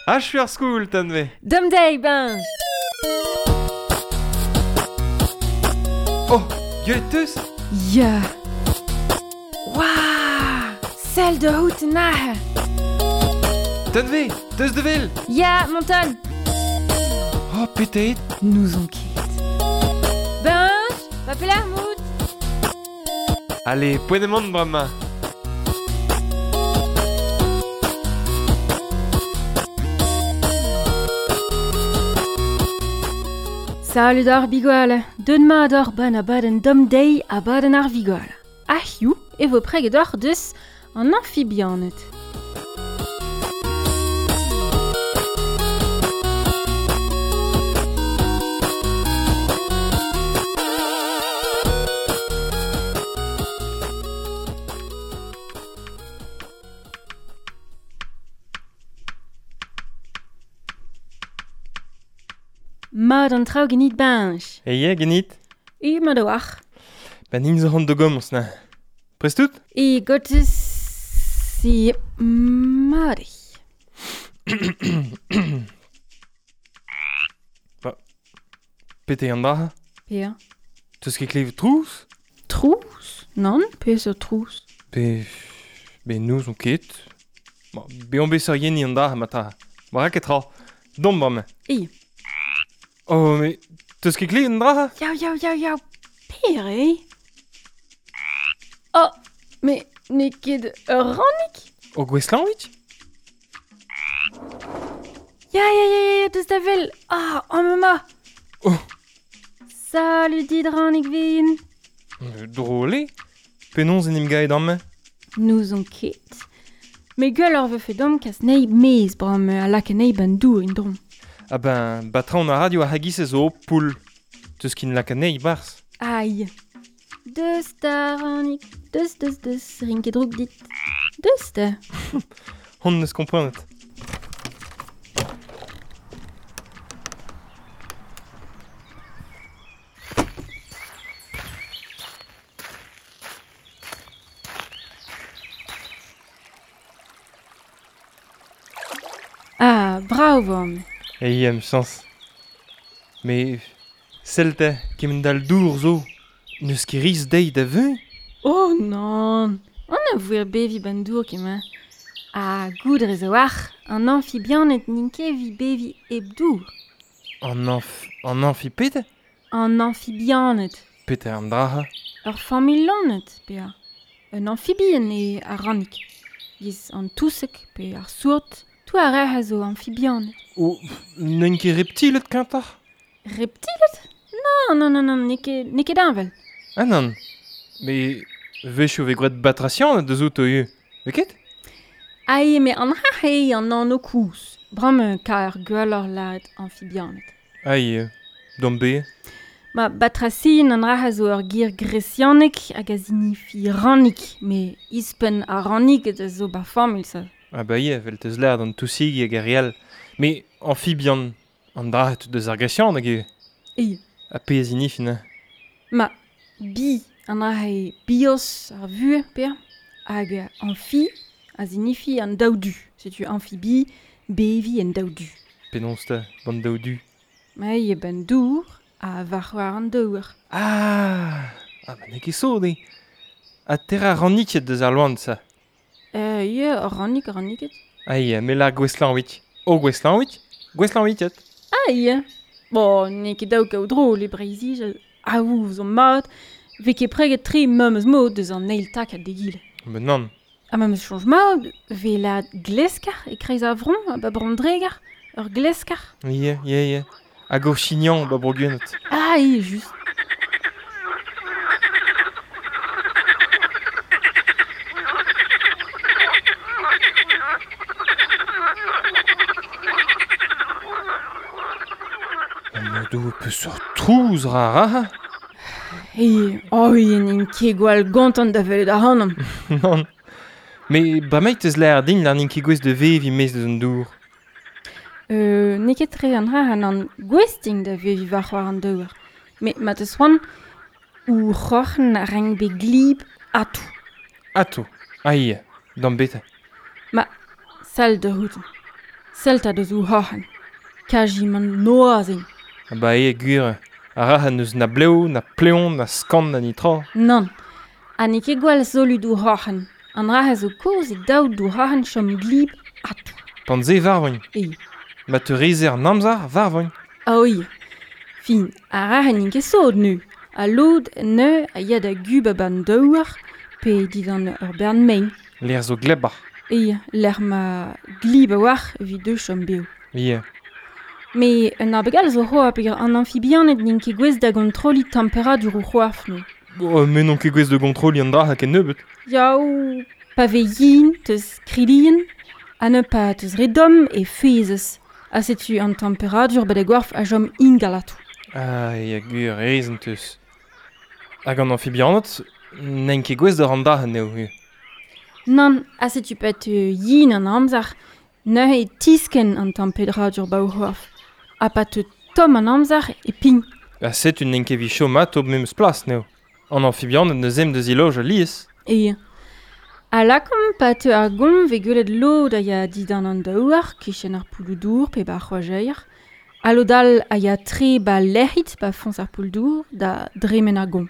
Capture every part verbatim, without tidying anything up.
Achu ar skoul, Tanve. Dom deiz, Benj. Oh, gwelet teus? Ya. Waouh! Sell da hout an Tanve, teus de vel? Ya, monton. Oh, petet. Nous on ket. Benj, va pelar mout. Allez, poent emaon bremañ. Salud ar bigwale, deun mat ar ban abadenn dom deiz abadenn ar vigwale. A hiziv e vo preget oc'h deus an amfibianed. Mat an traoù genit Benj. E ya, genit? E mat a-walc'h. Ben int zo c'hoant da gomañs na. Prest out? E gotez e mat eo. Ba, pete an dra? Pea. Teus ket klevet trouz? Trouz? Nann, pe zo trouz. Be, be n'ouzon ket. Ba, be on bet sur yeni an dra ma tra. Ba ra ket tra. Dom bremañ. E. Oh, mais teus ket klevet an dra? Yaou, yaou, yaou, yaou. Pere? Oh, mais n'eo ket ur rannig? O gweslanvit? Ya, ya, ya, ya, deus da vel. Ah, oh, ma. Oh. Salut dit rannig vin. Drôle eo. Penaos en em gaet amañ? N'ouzon ket. Me gwell ur vefe dom kas nei mez bram a lak anezhi ban dour en drom. Ah ben, batrañ an radio a hagis zo poul. Teus kin lak anezhi barzh. Aïe. Deus da rannig, deus, deus, deus, rin ket drouk dit. Deus da. Hon neus komprenet. Ah, brav on. E em chañs. Mais sell te, kement dal dour zo. N'eus ket riz dezhi da veuñ? Oh non. On a voer bevi ban dour kement. Ah, goud rez a-walc'h, an amfibianed n'int ket evit bevi hep dour. An amf... an amfi pete? An amfibianed. Pete an dra. Ur familh loened, pe a. Un amfibien eo ar rannig. Giz an touseg pe ar sourd. Tout ar re a zo amfibianed. Oh, n'int ket reptiled kentoc'h? Reptiled? Non, non, non, non, n'eo ket, n'eo ket heñvel. Ah non. Mais wechoù vez gwraet batracianed deus outo ivez. Vez ket? Ae, me an ra eo an anv koulz. Bremañ kaer gwelloc'h lâret amfibianed. Ae, d'am be. Ma batracien an ra a zo ur ger gresianek hag a zinifi rannig, me ispenn ar rannig a zo ba familh sa. Ah bah ya, vel teus lâret an tousig hag ar re all. Mais amfibian, an dra deus ar gresian hag eo. E. Ha pe a zinifin, hein? Ma bi an dra eo bios ar vuhez, pe hag amphi a zinifi an daou du. Setu amphibie, bevi en daou du. Penaos ta, ban daou du? Ma eo ban dour ha war war an dour. Ah, ah ba n'eo ket sot eo. Ha ter ar ranniket deus ar loan, sa. Euh, ya, ur rannig, ur ranniket. Ah ya, me lar gweslanvit. O gweslanvit, gweslanvitet. Ah ya. Bon, n'eo ket daou kaout drôle e Breizh-Izel. Aou zo mat, vez ket preget tre memes mod deus an eil takad d'egile. Ben nann. Ha memes soñj mat, vez la gleskar e kreiz ar vron, ba Brandregar, ur gleskar. Ya, ya, ya. Hag o chignan ba Bro-Gwened. Ah, eo, just. Do peseurt trouz ra ra. E, oh, n'int ket gwall gontant da welet ac'hanomp. Nann. Mais bremañ teus lâret din lar n'int ket gouest da veviñ maez deus an dour. Euh, n'eo ket tre an dra an gouest int da veviñ war war an dour. Mais ma teus c'hoant, ou c'horn a rank bet glib ato. Ato. Ah ya, d'am beta. Ma, sell da c'hoût. Selta deus ou c'hoc'hen. Kaji man noazin. Ah ba eo gwir, ar rac'h n'eus na bleo, na pleon, na skant, na nitra. Nann, ha n'eo ket gwall solud ou c'hoc'hen. An rac'h a zo kozh e daou d'ou c'hoc'hen chom glib atou. Pan ze varvoñ. E. Ma te rezer an amzer varvoñ. Ah oui. Fin, ar rac'h n'int ket sod nu. A lod neu a ya da gub a ban daouar pe didan ur bern mein. L'er zo glebar. E, l'er ma glib a war evit deux chom beo. Ie. Me un abegal zo c'hoa peogwir an amfibianed n'int ket gouest da gontrolli temperadur o c'hoaf no. Oh, me n'on ket gouest da gontrolli an dra ha ken nebeut. Yaou, pa vez yin, teus krilien, ha ne pa teus re domm e fezez. Ha setu an temperadur ba da goarf a chom ingalatou. Ah, ya gwir, reizn teus. Hag an amfibianed, n'int ket gouest da ran dra anezho. eo. Nann, ha setu pa teu yin an amzer, neuze e tisken an temperadur ba o c'hoaf. Ha pa teu tomm an amzer e pign. Ha setu n'int ket evit chom atao memes plas n'eo. An amfibianed neus em deus iloj alies. E. Ha lakomp pa teu ar gomv e gwelet lod a ya didan an daouar, kichen ar pouloù-dour pe ba ar c'hoajeir. Ha lod all a ya tre ba lec'hid ba foñs ar poull-dour da dremen ar gomv.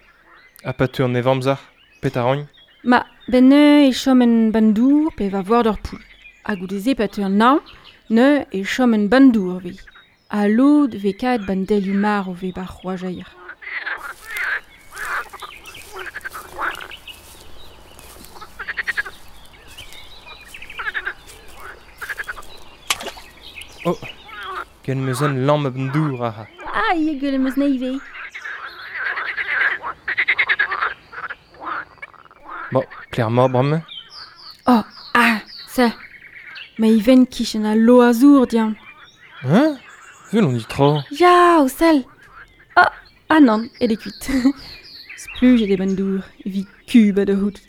Ha pa teu an evamzer, pet a roagn? Ma, ben neuze e chom en bann-dour pe va voir d'ur poull. Ha goude-se pa teu an hañv, neuze e chom en bann-dour vez. Ha lod vez kaet ban delioù marv vez ba c'hoajeir. Oh, gant meus un lamm a bann-dour aze. Ah, eo gwell meus na ivez. Bon, clairement, bremañ. Oh, ah, se. Ma iven kichen a lo azour, dian. Hein? Vel on dit tra. Ya, o sell. Ah, ah nann, elle est kuit. Splujet e bann-dour, evit kub a da c'hout.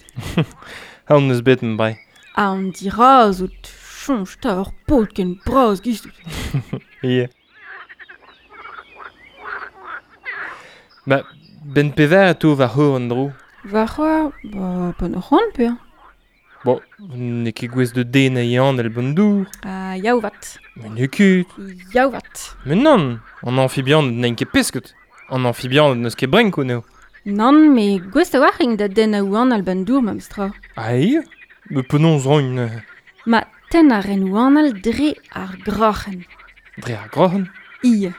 Ha on eus bet m'brai. Ha on dira zo choñj ta ur paotr ken bras giz. Ie. Ba, ben pever a to va c'hor an dro. Va c'hoar, ba, pan ur c'hoant pe. Bon, n'eo ket gouest de den a yann el bann-dour. Ah, yaou vat. Mais n'eo ket. Yaou vat. Mais nann, an amfibian n'eo ket pesket. An amfibian n'eus ket brenko n'eo. Nann, me gouest a war ing da den a ouan al bann-dour memes tra. Ah, eo? Me penaos roagn. Ma ten a ren ouan al dre ar groc'hen. Dre ar groc'hen? Ie.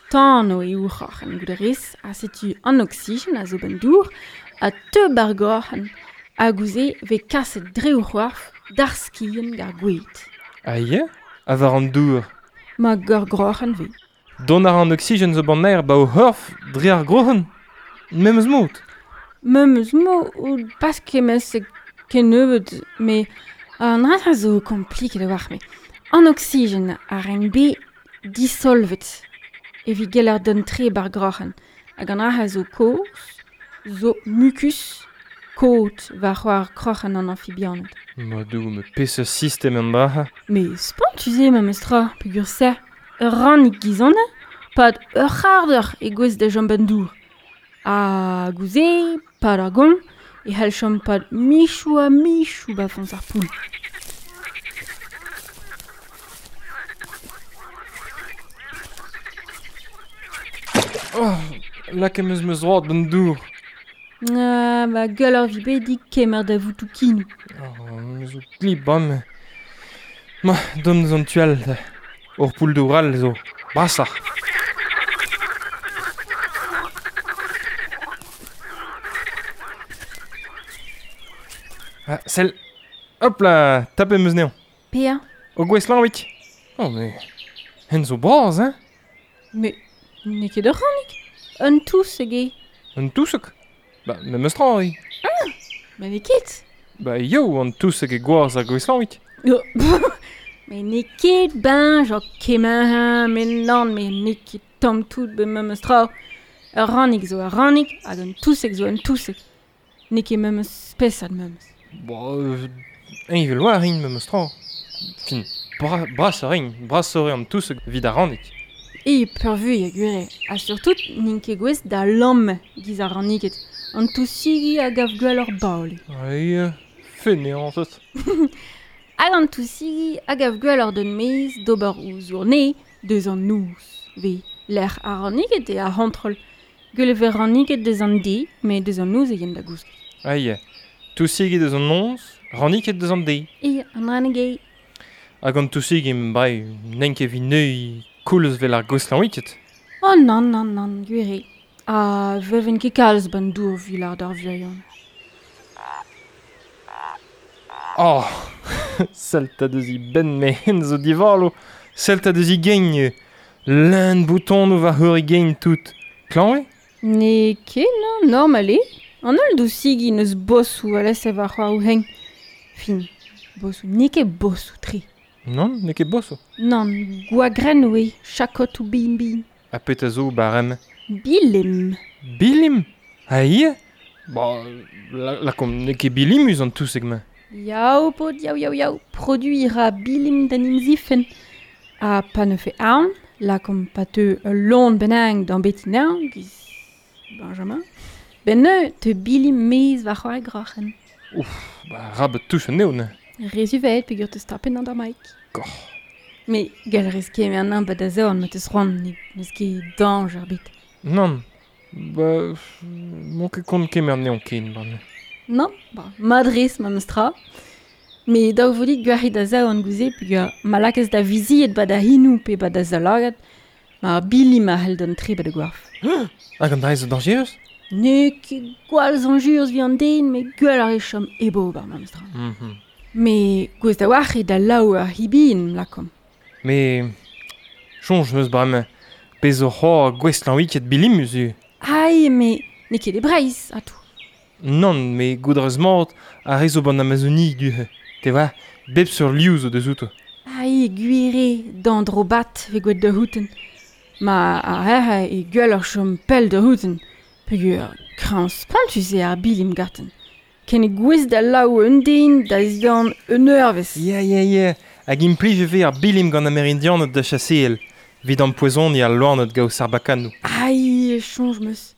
Tano eo c'hoc'hen goude rez, ha setu an oksigen a zo bann-dour, a teub ar groc'hen. Hag ouzh vez kaset dre o c'hoarf d'ar skien gar gouet. Ah ie? A war an dour? Ma geur groc'hen vez. Don ar an oksigen zo ban aer ba o c'horf dre ar groc'hen? Memes mod? Memes mod, pas kemes kennebeut, me an dra zo kompliket a-walc'h me. An oksigen a ren be disolvet evit geller d'un tre bar groc'hen. Hag an dra zo kozh, zo mukus, kot war c'hoar kroc'hen an amfibianed. Ma dou, me peseurt sistem an dra. Me spontus eo memes tra, peogwir se. Ur rannig gizanne, pad ur c'hardeur e gouez da chom bann-dour. Ha gouze, pad ar gomp, e c'hell chom pad michou ha michou ba foñs ar poull. Oh, lak em eus meus droad bann-dour. Ah, ba gueul ar vi bet dit kemer da voutou kinou. Oh, me zo glib bam. Ma, dom deus an tual. Ur poull dour all zo. Brasoc'h. Ah, sell. Hop là, tapet em eus anezhañ. Pea? O gouestlañ Oh, mais... Hen zo bras, hein? Mais n'eo ket ur rannig. Un touseg eo. Un touseg? Ba, memes tra, eo. Ah, ba n'eo ket. Ba yo, an touseg e gwaz ar gouestlañ. Oh, mais n'eo ket ben, genre kement, mais nann, mais n'eo ket tamm tout be memes tra. Ur rannig zo ur rannig, hag un touseg zo un touseg. N'eo ket memes spesad memes. Ba, euh, eñ vel war int memes tra. Fin, bra, bras a rin, bras a an touseg evit ar rannig. E peurvuiñ a gwir eo. Ha surtout n'int ket gouest da lamm giz ar ranniget. An tousigi a gav gwell ur baol. Ai, feneantet. Hag an tousigi hag av gwelloc'h d'un mez d'ober o zourne deus an noz. Ve lec'h ar ranniget e ar c'hontrol. Gwell e vez ranniget deus an de, met deus an noz e yen da gousket. Aïe, tousigi deus an noz, ranniket deus an de. E, an rannig Hag an tousigi bai, n'en ket vi neui koulz vel ar gweslañ-wiket. Oh nann, nann, nann, gwir eo. Ha veven ket kalz ban dour vil ar d'ar vuion. Oh, Selta deus i ben me hen zo divalo. Selta deus i gein. Leun bouton va heur i gein tout. Klañ eo? Ne ket, non, normal eo. An holl dousigi neus bosou a lese war c'hoar ou heng. Fin, bosou, n'eo ket bosou tre. Non, n'eo ket bosou. Nann, gwagrenn oe, chakot ou bin bin. Ha pet a zo barem? Bilim. Bilim? Ha ie? Ba, la, la kom, n'eo ket bilimus an touseg ma. Yaou, pod, yaou, yaou, yaou. Produir a bilim d'an imzifen. Ha pa ne fe aon, la kom pa teu ul lon benang d'an betinan, giz Benjamin. Ben ne te bilim mez war c'hoar groc'hen. Ouf, ba rab touch an eo ne. Rezuvet peogwir teus tapet an d'ar maik. Goh. Me gall rez ket an an ba da zorn ma teus c'hoant ne n'eus ket dañjer bet. Nann, ba, m'on ket kont kemer neon ken, ban. Non, ba, madrez ma meus tra. Me daou vo dit gwac'hit da zaou gouze peogwir ma lakez da viziet ba da hinou pe ba da zalagad, ma bilim a c'hell d'an tre ba da goaf. Hag an dra zo dañjerus? N'eo ket gwall zañjerus vi an den, met gwell ar e chom ebo bar ma meus tra. Mm-hmm. Me gouez da war e da laou ar hibin, lakom. Me soñj meus bremañ, pezh zo c'hoar gweslañ wiket bilimus eo. Ai, me n'eo ket e Breizh, atou. Nann, me goudrez mat a re zo ban Amazonie du. Te va, bep sur liou zo deus outo. Ai, gwir eo, d'an drobat ve gwet da houten. Ma a herre e gwell ar chom pell da houten. Peogwir krañs spontus eo ar bilim gaten. Ken e gouez da laou un den da zidan un eurvezh. Ya, ya, ya. Hag implij e vez ar bilim gant Amerindianed da chaseel. Vid an poezoni al loaned gao sarbakanou. Ai, soñj meus.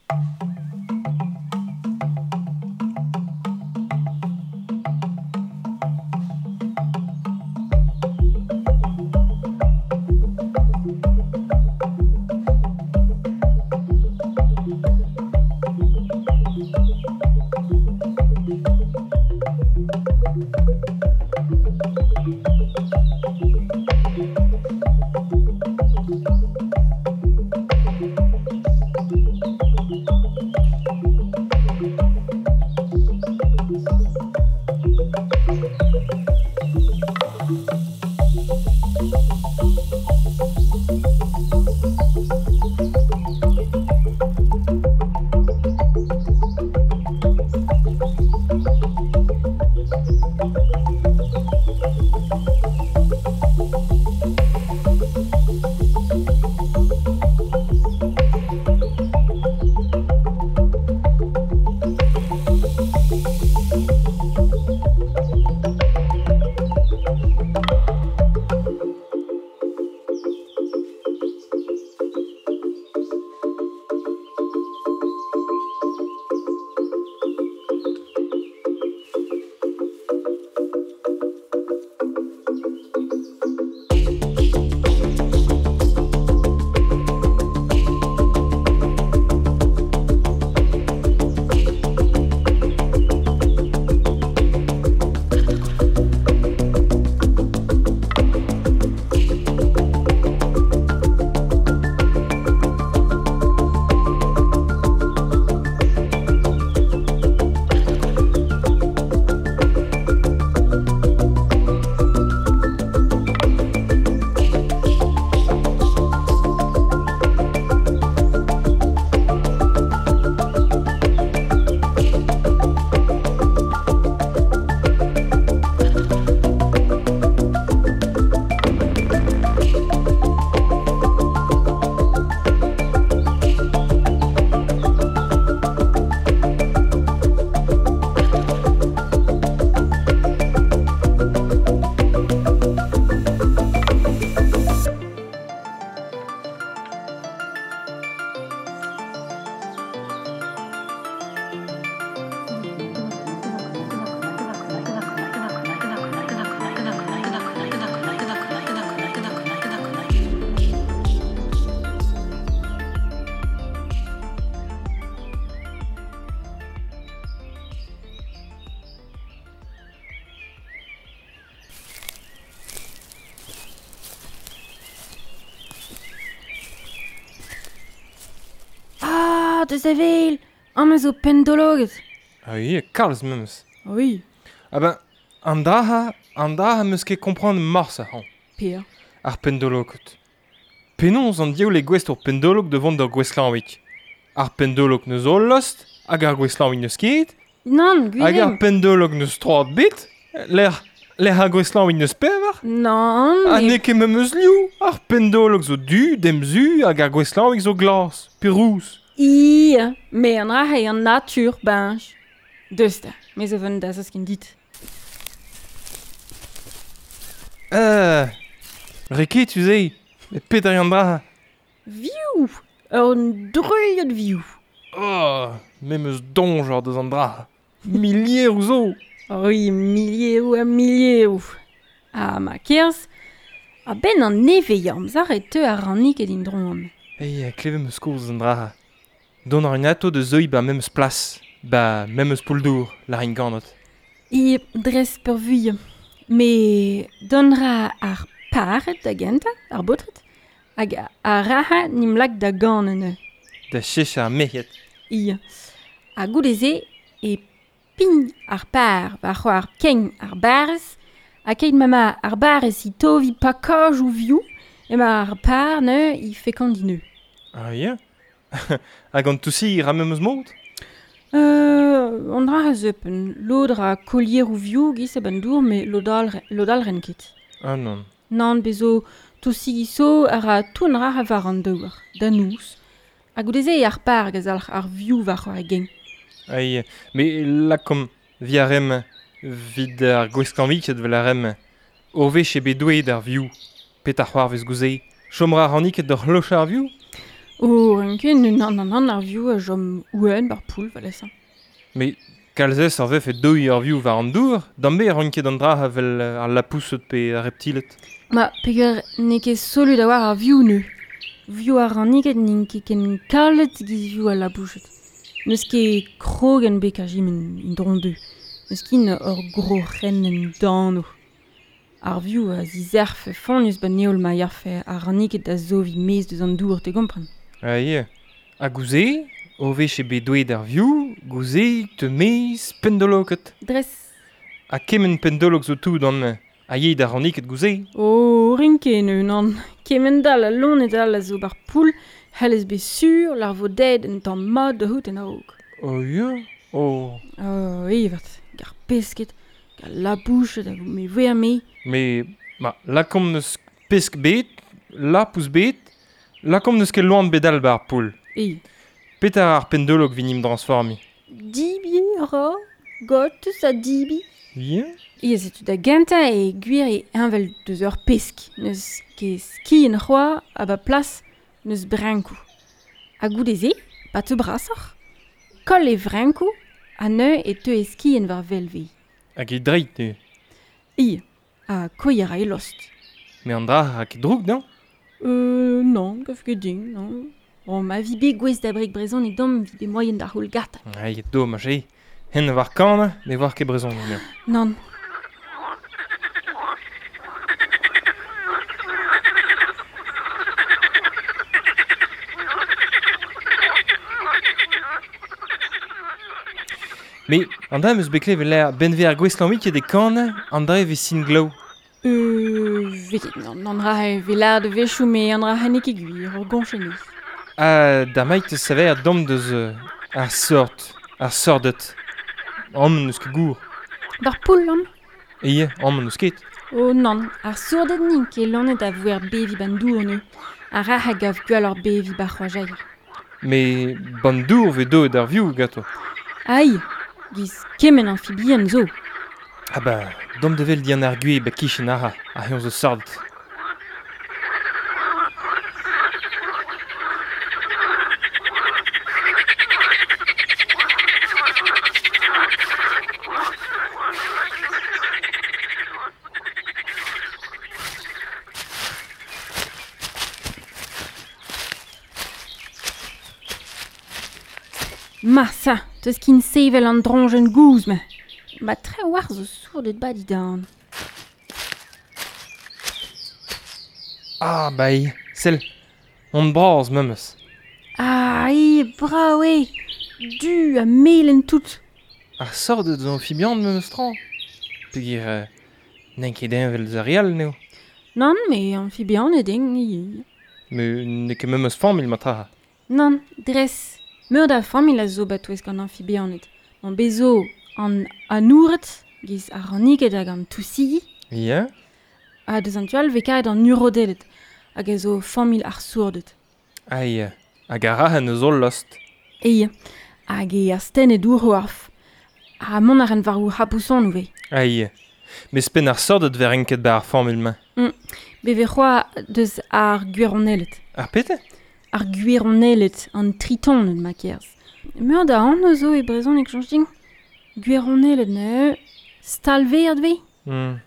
deus avel, am eus o pendologet. Ah oui, kalz memes. Oui. Ah ben, an draha, an draha meus ket comprendre mars a han. Pea. Ar pendologet. Penaos an diaoul e gouest ur pendolog de vont d'ur gweslanvik. Ar pendolog neus ol lost, hag ar gweslanvik neus ket. Nann, gwir. Hag ar pendolog neus troad bet, l'er, l'er ar gweslanvik neus pevar. Nann, Ha n'eo ket memes liou. Ar pendolog zo du, demzu, hag ar gweslanvik zo glas, pe rouz. I, me an rahe an natur, bench. Deus da, me zo vont da zos ken dit. Euh, reket, tu sais. Et petra an dra. Viou! Ur druilhad viou. Oh, me meus donjor deus an dra. Milieroù zo. Oui, milieroù ha milieroù. Ha ma kerz, a ben an nevez amzer e teu ar rannig ed indron. Ei, kleve meus koz an dra. Don ar un ato de zeuil ba memes plas, ba memes pouldour, la rin ganot. E dres peurvuiñ. Me don ra ar paret da genta, ar baotred, hag ar raha nim lak da ganen. Da chech ar merc'hed. I. Ha goude-se e pign ar par war c'hoar kein ar barrez, ha keit ma ar barrez i tovi pakaj ou viou, ema ar par ne i fekandi neu. Ah ya? Hag an toussi ra memes mod? Euh, an dra a zeupen, lod ra kolier ou viou giz a ban dour, me lod all, lod all ren ket. Ah non. Nann bezo toussi giso a ra toun ra a war an douar, da nous. Ha goude-se e ar par gaz ar, ar viou war c'hoar e gen. Ai, me lakom vi ar rem vid ar gweskanviket vel ar rem. Ur wech e bet douet ar viou. Pet ar c'hoar vez gouze. Chom ra ranniket d'ur c'hloch ar viou? Oh, ren nan nan nan ar viou a jom ouen bar poul, valesa. Me kalzez ar vef e doi ar viou war an dour, dambe ar ket an dra vel ar lapousset pe ar reptilet. Ma, peger n'eo ket solud a war ar viou neu. Viou ar ranniket n'int ket ken kalet giz viou al labouchet. N'eus ket krogen bek a jim in dron deu. N'eus ket ur gros ren en dano. Ar viou a zizerf fonnus ba neol ma yarfe ar ranniket da zovi mez deus an dour, te gompren. Ah yeah. Ha gouze, o wech e bet douet ar viou, gouze te mez pendoloket. Dres. Ha kement pendolok zo tout an a yei da ranniket gouze. Oh, rinke neu nan. Kement dal a lonet all a zo bar poul, hellez bet sur lar vo dead en tamm mat da hout en aog. Oh ya, oh. Oh, evet, gar pesket, gar labouchet a me ver me. Me, ma, lakomp neus pesk bet, lapous bet, lakomp neus ket loan bet all bar poul. E. Petra ar pendolog vinim transformi? Dibi ra, got sa dibi. Ya? E setu da genta e gwir e envel deus ur pesk. Neus ket ski en c'hoa a ba plas neus brenkou. Ha goude-se, pa te brasoc'h, koll e vrenkou ha neu e teu e ski en war velve. Hag e dreit ne? I, ha koi a ra e lost. Me an dra a ket droug, non? Euh, non, gav ket din, non. Oh, ma vi bet gwez da brek brezon e dom vi bet moyen da c'houl gata. Ai, domaj, e. Hen war kan, me war ket brezon. Non. Me, an dra eus bet klevet l'air benve ar gweslanvik eo de kan, an dra e vez sin glaou. Euh, veket, non, an dra e vez de vechou, me an dra n'eo ket gwir, ur goñchenez. Ha da maik te saver dom deus ar sort, ar sordet. Am n'eus ket gour. D'ar poul, an? Ie, am n'eus ket. Oh nan, ar sourdet nin ket lanet a voer bevi ban dour neu. Ar ra a gav gwell ar bevi bar c'hoajair. Me ban dour ve do d'ar viou gato. Ai, giz kement amphibien zo. Ah ba, dom devel dian ar gwe ba kichen ara, a heon zo sordet. Ma sa, teus kin sevel an dronjen gouz me. Ma tre war zo sourdet ba didan. Ah, bai, sell, on braz memes. Ah, Ai, brao eo, du ha melen tout. Ar sort eus amfibian memes tra. Peogwir euh, n'int ket heñvel eus ar re all n'eo. Nann, me amfibianed int ivez. Me n'eo ket memes familh matra. Nann, dres. Meur da familh a zo batouesk an amfibianed. An bezo an anoured, giz ar raniged hag an tousigi. Ya. Ha deus an tu all vez karet an urodeled, hag a zo familh ar sourded. Ai, hag ar rahen eus holl lost. Ei, hag e astennet our arf. Ha mont ar en war o c'hapouson ouvez. Ai, mes pen ar sordet ver enket ba ar familh-mañ. Mm. Beve c'hoa deus ar gwironeled. Ar pete? Ar gwironeled, an tritoned ma kerz. Meur da an zo e brezhoneg soñj din. Gwironeled ne, stalveert ve? Mm.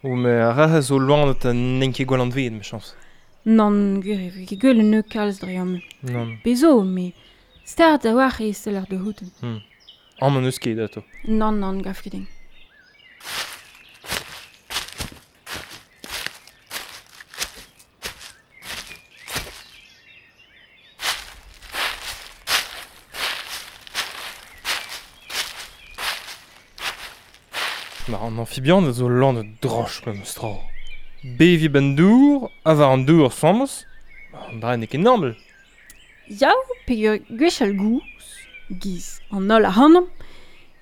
O me ar rahe zo loanet an n'en ket gwell anveet, me chañs. Nann, gwir e ket gwell ne kalz dre am. Nann. Bezo, me start a war e seller de houten. Mm. Amañ n'eus ket ato. Nann, nann, gav ket din. Ma an amfibian a zo lan droch memes tra. Bevi ben dour, a war an dour sommos, an dra n'eo ket normal. Yaou, peogwir gwechall gouz, giz an holl ac'hanomp,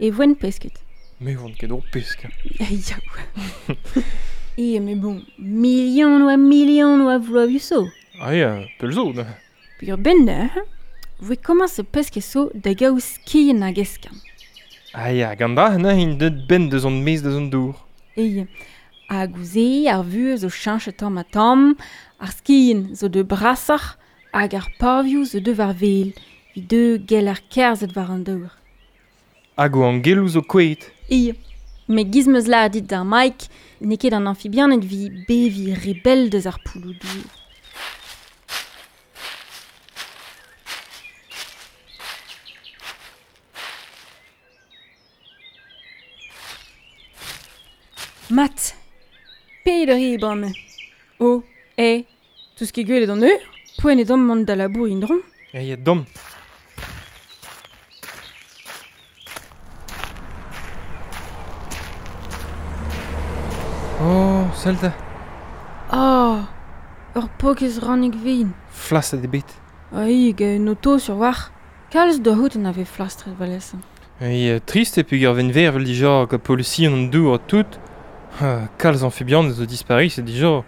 e voen pesket. Me voen ket ur pesk. Yaou. E, mais bon, million oa million oa vloaviou so. Ah ya, pel zo. Peogwir ben neuze, voe komañs peske so da gaout skien hag eskern. Ah ya, gant dra neuze int deut ben deus an mez deus an dour. E, hag ouze, ar vuhez zo cheñchet tamm ha tamm, ar skien zo de brasoc'h, hag ar pavioù zo de war vel, evit deu gell ar kerzhet war an dour. Hag o angeloù zo kouezhet. E, me giz meus lâret dit d'ar Mike, n'eo ket an amfibianed vi bevi rebel deus ar pouloù dour. Mat, peder eo bremañ. O, e, tout ket gwelet an eur, poent eo deomp mont da labour en-dro. E ya, deomp. Oh, sell da. Oh, ur pokez rannig vin. Flastret eo bet. Ai, hag un oto sur war. Kalz da c'hoût en ave flastret valesen. Ai, trist eo peogwir ven ver vel dija gant polusion an dour ha tout. Kalz amfibian zo dispari, c'est dija.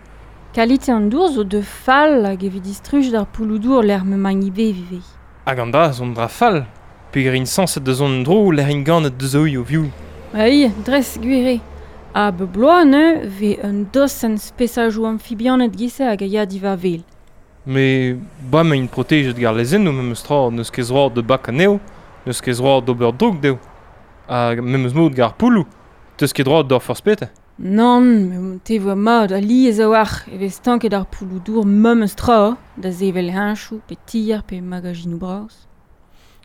Kalite an dour zo de fall hag evit distruj d'ar pouloù dour l'er me magn ive vive. Hag an dra zon dra fall, peogwir int sañset da zont dro l'er int ganet deus o viou. Ai, dres gwir eo. Ha be bloaz neuze vez un dosenn spesajoù amfibianed gise hag a ya diwar vel. Me bremañ int protejet gant lezennoù memes tra, n'eus ket droad da bakañ anezho, n'eus ket droad d'ober droug dezho. Hag memes mod gant ar pouloù, teus ket droad d'ober forzh petra. Nann, me te voa mat alies a-walc'h e vez stanket ar pouloù dour memes tra da sevel heñchoù pe tier pe magazinoù bras.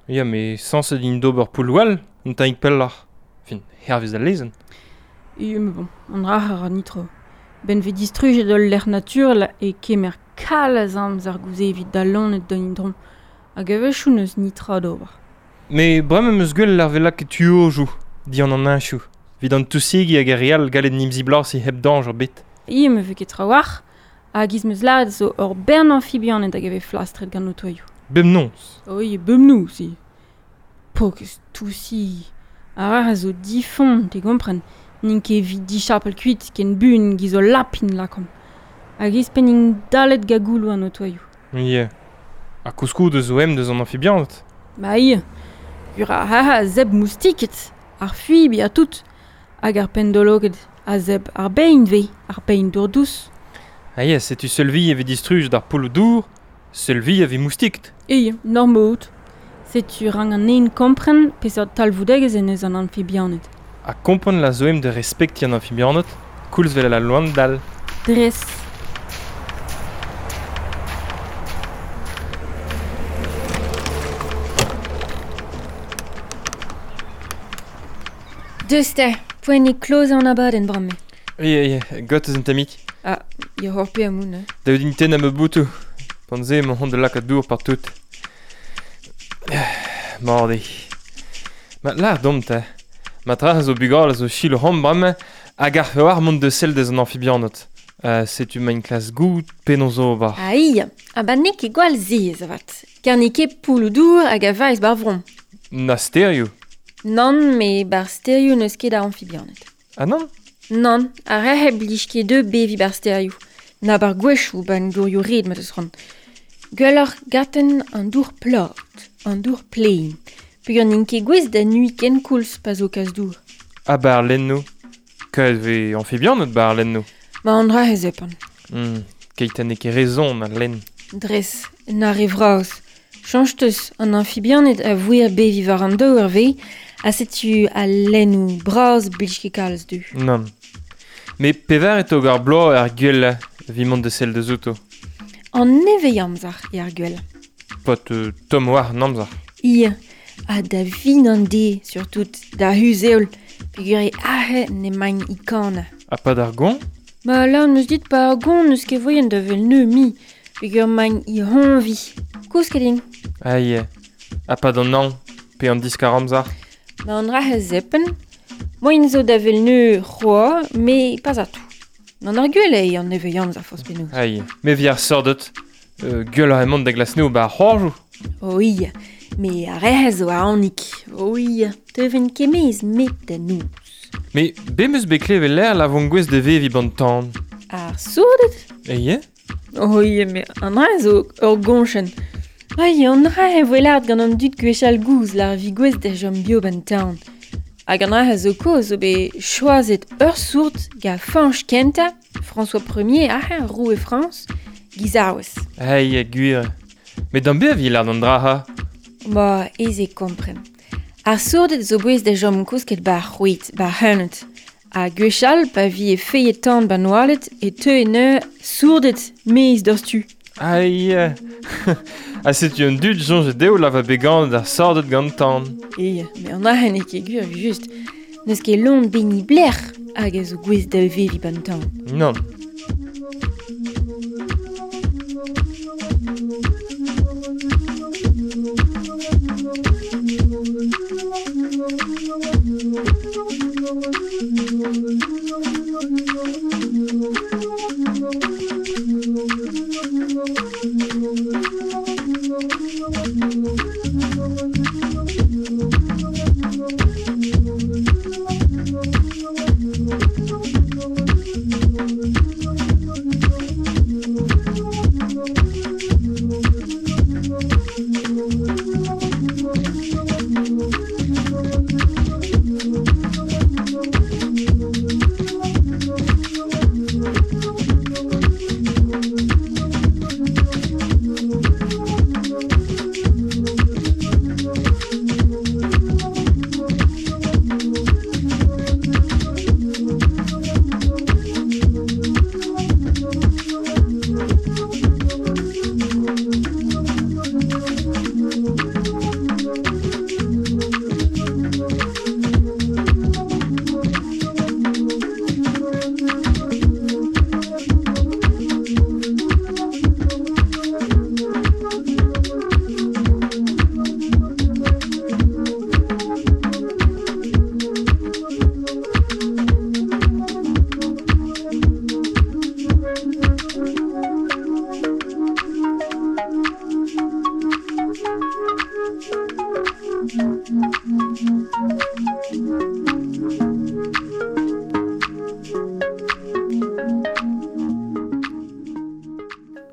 Ya, me sañset int d'ober pouloù all, un tammig pelloc'h. Fin, hervez al lezenn. E, mais bon, an dra a ra nitra. Ben vez distrujet ul lec'h naturel e kemer kalz amzer gouze evit da loened d'an endro. Hag a-wechoù n'eus nitra d'ober. Me bremañ 'm eus gwell ar vela ket tuojoù, dian an heñchoù. Evit an tousegi hag ar re all gallet n'em ziblañsiñ hep dañjer bet. E, me vez ket trawalc'h, hag iz meus lâret zo ur bern amfibianed hag a vez flastret gant otoioù. Bemnoz. Oi, bemnoz, eo. Pokez tousi. Ar a zo difon, te gompren. N'int ket evit dichapel kuit, ken buan giz o lapin lakomp. Hag iz pen int dalet gagouloù an otoioù. Ie. Ha koulskoude zo em deus an amfibianed. Ba ie. Ur ar ha zeb moustiket, ar fuibi ha tout. Hag ar pendologed a zeb ar bein ve, ar bein dour dous. Ah ya, setu seul vi evit distruj d'ar pouloù dour, seul vi evit moustiket. Ie, normot. Setu rang an een kompren peseurt talvoudegezh en eus an amfibianed. Ha kompren la zo em de respektiñ an amfibianed, koulz vel al loen dall. Dres. Deus te, poent eo klozañ an abadenn bremañ. Ie, ie, got eus un tammig. Ah, ya hor pe amoun. Daout din tennañ ma boutoù. Pan-se emañ c'hoant da lakaat dour partout. Morde. Ma lar domp ta. Ma tra zo bugal zo chil rom brame hag ar fewar mont de sel deus an amfibianot. Uh, setu ma in klas gout penon zo bar. Aïe, a ba n'eo ket gwall zez avat. Kar n'eo ket pouloù dour hag a vaez bar vron. Na sterioù. Nann, me bar sterioù n'eus ket a amfibianed. Ah nann? Nann, ar rehe blij ket deu bevi bar sterioù. Na bar gwechoù ban dourioù red ma deus ran. Gwelloc'h gaten an dour plat, an dour plein. Peogwir n'int ket gouest da nui ken koulz pa zo kas dour. Ha bar lenno. Kaet vez amfibianed bar lenno. Ma an dra he zepan. Hmm, keit n'eo ket rezon al lenn. Dres, na re vras. Chañj teus an amfibianed a vouer bevi war an daou ur vez, ha setu al lennoù bras blij ket kalz du. Nann. Me pevar e tog ar bloaz ar gwell vi mont de sel deus outo. An nevez amzer e ar gwell. Pot euh, tomm war an amzer. Ie, ha da vin an de, surtout da huzeol, peogwir e ahe ne magn i kana. Ha pa d'ar gon? Ma lan n'eus dit pa ar gon n'eus ket voien da vel neu mi, peogwir magn i honvi. Koz ket din. Aïe, ha pa d'an an, pe an diskar amzer. Ma an ra he zepen, moin zo da vel neu c'hoa, me pas atou. N'an ar gwell eo an nevez amzer forzh penaos. Aïe, me vi ar sordet, euh, gwell ar emont da glasneo ba ar c'hoarjoù. Oi, me ar rehe zo a anik. Oi, teuven kemez met da noz. Me be meus bet klevet l'air la von gwez de vevi ban tan. Ar sourdet? Eie? Oi, me an dra zo ur goñchenn. Ai, an dra e voe lart gant an dud gwechall gouz lar vi gwez da jom bio ban tan. Hag an dra zo koz zo bet choazet ur sourd ga Fañch kentañ, François Premier, ah, roue Frañs, giz arwez. Ai, gwir. Met d'an be a vi lart an dra ha? Ma, ez e kompren. Ar sourdet zo bouez da jom kousket ba ar c'hwit, ba ar c'heunet. Ha gwechall, pa vi e feillet tan ba noalet, e teu e neu sourdet meiz d'ur stu. Aïe. Ha setu un dud soñj dezho la va bet ar sordet gant tan. E, me an ahen e ket gwir just. N'eus ket lon beni blec'h hag a zo gouez da vevi ban tan. Nann.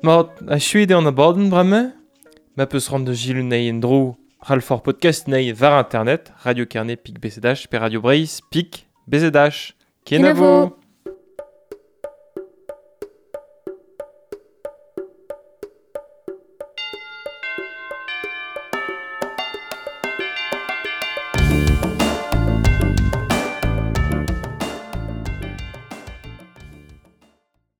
Mat, a chuet eo an abadenn bremañ, ma peus ran da gilou nei en dro Ralfor podcast nei war internet, Radio Carnet pik B C D H pe Radio Breizh pik B Z H. Kenavo! Kenavo.